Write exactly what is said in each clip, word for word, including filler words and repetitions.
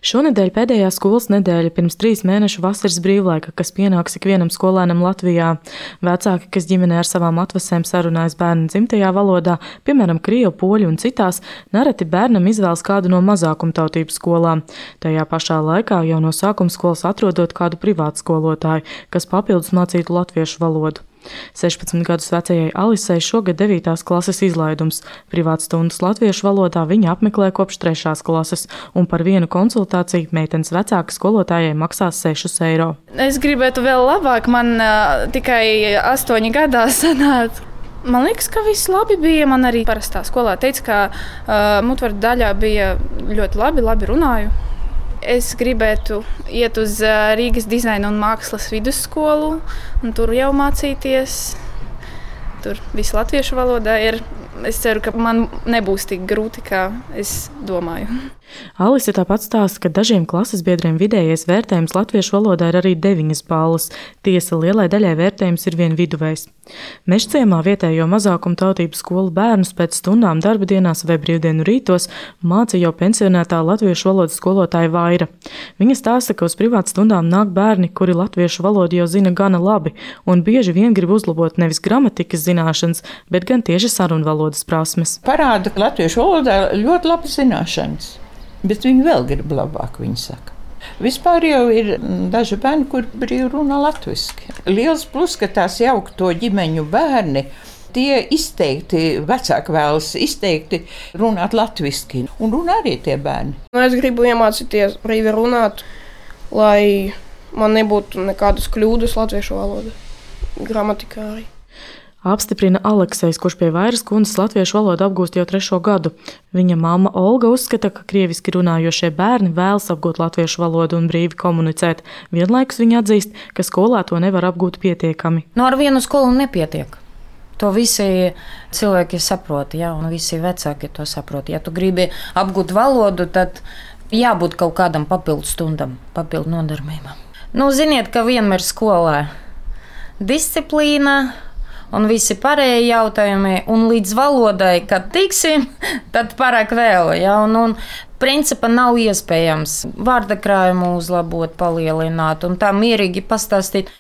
Šonedēļ pēdējā skolas nedēļa pirms trīs mēnešu vasaras brīvlaika, kas pienāks ikvienam skolēnam Latvijā. Vecāki, kas ģimenē ar savām atvasēm sarunājas bērnu dzimtajā valodā, piemēram, krievu, poļu un citās, nereti bērnam izvēlas kādu no mazākumtautību skolām. Tajā pašā laikā jau no sākuma skolas atrodot kādu privātu skolotāju, kas papildus mācītu latviešu valodu. sešpadsmit gadus vecajai Alisei šogad devītās klases izlaidums. Privātas stundas latviešu valodā viņa apmeklē kopš trešās klases, un par vienu konsultāciju meitenes vecāka skolotājai maksās sešus eiro. Es gribētu vēl labāk, man uh, tikai astoņi gadā sanāca. Man liekas, ka viss labi bija. Man arī parastā skolā teica, ka uh, mutvaru daļā bija ļoti labi, labi runāju. Es gribētu iet uz Rīgas dizaina un mākslas vidusskolu un tur jau mācīties. Tur viss latviešu valodā ir. Es ceru, ka man nebūs tik grūti, kā es domāju. Alise tāpat stāsta, ka dažiem klases biedriem vidējais vērtējums latviešu valodā ir arī deviņas balvas. Tiesa, lielai daļai vērtējums ir vien viduvējs. Mežciemā vietējo mazākumu tautību skolu bērnus pēc stundām darba dienās vai brīvdienu rītos māca jau pensionētā latviešu valodas skolotāja Vaira. Viņa stāsta, ka uz privātu stundām nāk bērni, kuri latviešu valodu jau zina gana labi un bieži vien grib uzlabot nevis gramatikas zināšanas, bet gan tieši sarunvalodas prasmes. Parāda, ka latviešu valodā ļoti labi zināšanas, bet viņi vēl grib labāk, viņi saka. Vispār jau ir daži bērni, kur brīvi runā latviski. Liels plus, ka tās jaukto ģimeņu bērni, tie izteikti, vecāki vēlas izteikti runāt latviski. Un runā arī tie bērni. Es gribu iemācīties brīvi runāt, lai man nebūtu nekādas kļūdas latviešu valodā, gramatikā arī. Apstiprina Aleksejs, kurš pie Vairas kundzes latviešu valodu apgūst jau trešo gadu. Viņa mamma Olga uzskata, ka krieviski runājošie bērni vēlas apgūt latviešu valodu un brīvi komunicēt. Vienlaikus viņa atzīst, ka skolā to nevar apgūt pietiekami. No ar vienu skolu nepietiek. To visi cilvēki saprot, ja, un visi vecāki to saprot. Ja tu gribi apgūt valodu, tad jābūt kaut kādam papildu stundam, papildu nodarbībām. Nu, ziniet, ka vienmēr skolā disciplīna un visi pārējie jautājumi, un līdz valodai, kad tiksim, tad pārāk vēl. Ja? Un, un principā nav iespējams vārdakrājumu uzlabot, palielināt un tā mierīgi pastāstīt.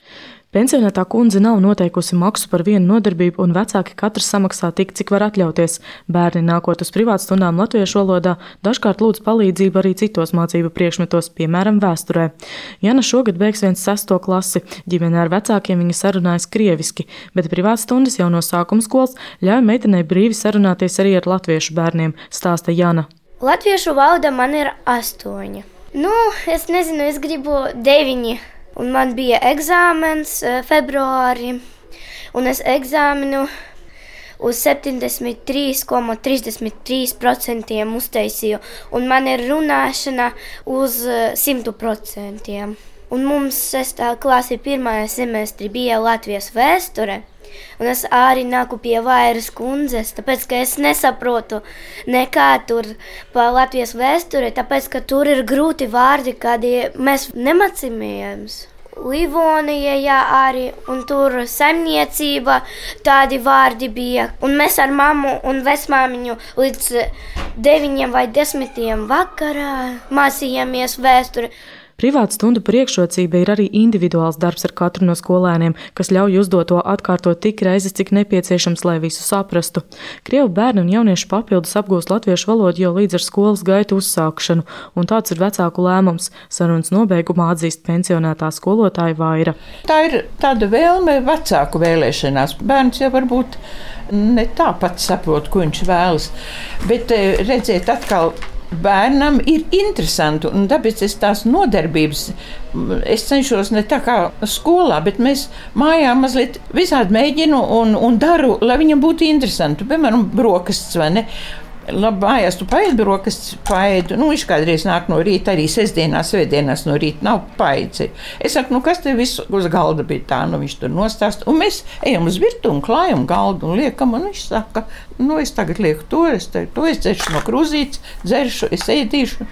Pensionētā kundze nav noteikusi maksu par vienu nodarbību, un vecāki katrs samaksā tik, cik var atļauties. Bērni nākot uz privātu stundām latviešu valodā dažkārt lūdz palīdzību arī citos mācību priekšmetos, piemēram, vēsturē. Jana šogad beigs viens sesto klasi. Ģimenē ar vecākiem viņa sarunājas krieviski, bet privātu stundas jau no sākuma skolas ļauj meitenei brīvi sarunāties arī ar latviešu bērniem, stāsta Jana. Latviešu valoda man ir astoņi. Nu, es nezinu, es gribu deviņi. Un man bija eksāmens februārī, un es eksāmenu uz septiņdesmit trīs komats trīsdesmit trīs procenti uztaisīju, un man ir runāšana uz simt procenti. Un mums sestā klase pirmajā semestrī bija Latvijas vēsture, un es arī nāku pie Vairas kundzes, tāpēc, ka es nesaprotu nekā tur par Latvijas vēsture, tāpēc, ka tur ir grūti vārdi, kādi mēs nemācījāmies. Livonija, jā, arī, un tur saimniecība, tādi vārdi bija. Un mēs ar mammu un vecmāmiņu līdz deviņiem vai desmitiem vakarā mācījāmies vēsturi. Privāta stundu priekšrocība ir arī individuāls darbs ar katru no skolēniem, kas ļauj uzdot to atkārtot tik reizes, cik nepieciešams, lai visu saprastu. Krievu bērni un jaunieši papildus apgūst latviešu valodu jau līdz ar skolas gaitu uzsākšanu, un tāds ir vecāku lēmums. Sarunas nobeigumā atzīst pensionētā skolotāja Vaira. Tā ir tāda vēlme vecāku vēlēšanās. Bērns jau varbūt ne tāpat saprot, ko viņš vēlas, bet redziet atkal, bērnam ir interesanti, un tāpēc es tās nodarbības, es cenšos ne tā kā skolā, bet mēs mājā mazliet visādi mēģinu un, un daru, lai viņam būtu interesanti. Piemēram, brokastis, vai ne? Labi, mājās tu paēdi brokastis, paēdi. Nu, viņš kādreiz nāk no rīta, arī sestdienās, svētdienās no rīta nav paēdzi. Es saku, nu kas te visu uz galda bija tā, nu viņš tur nostāst. Un mēs ejam uz virtuvi un klājam galdu un liekam, un viņš saka, nu es tagad lieku to, es, te, to es dzeršu no krūzītes, dzeršu, es ēdīšu.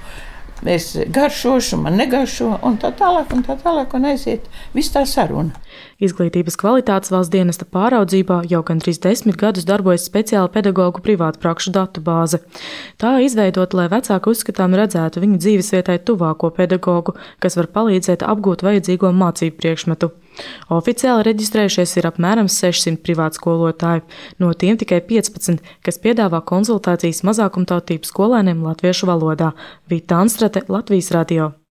es garšošu, man negaršo, un tā tālāk, un tā tālāk, un aiziet viss tā saruna. Izglītības kvalitātes valsts dienesta pāraudzībā jau gandrīz desmit gadus darbojas speciāla pedagoģu privātprakšu datubāze. Tā izveidota, lai vecāki uzskatām redzētu viņu dzīvesvietai tuvāko pedagogu, kas var palīdzēt apgūt vajadzīgo mācību priekšmetu. Oficiāli reģistrējušies ir apmēram sešsimt privātskolotāji, no tiem tikai piecpadsmit, kas piedāvā konsultācijas mazākumtautību skolēniem latviešu valodā. Vita Anstrate, Latvijas radio.